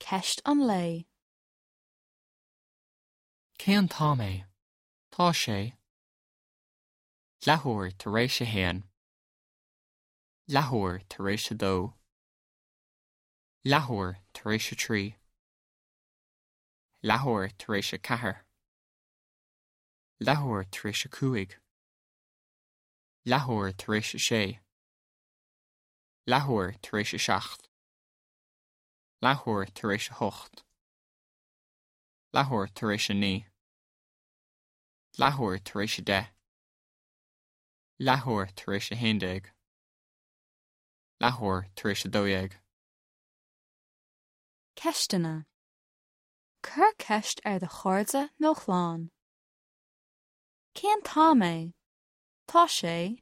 Ceist an lae. Cén t-am é? Tá sé. Leathuair tar éis a haon. Leathuair tar éis a dó. Leathuair tar éis a trí. Leathuair tar éis a ceathair. Leathuair tar éis a cúig. Leathuair tar éis a sé. Leathuair tar éis a seacht. Leathuair tar éis a hocht. Leathuair tar éis a naoi. Leathuair tar éis a deich. Leathuair tar éis a haon déag. Leathuair tar éis a dó dhéag. Ceisteanna. Cuir ceist ar do chairde nó chlann. Cén t-am é? Tá sé.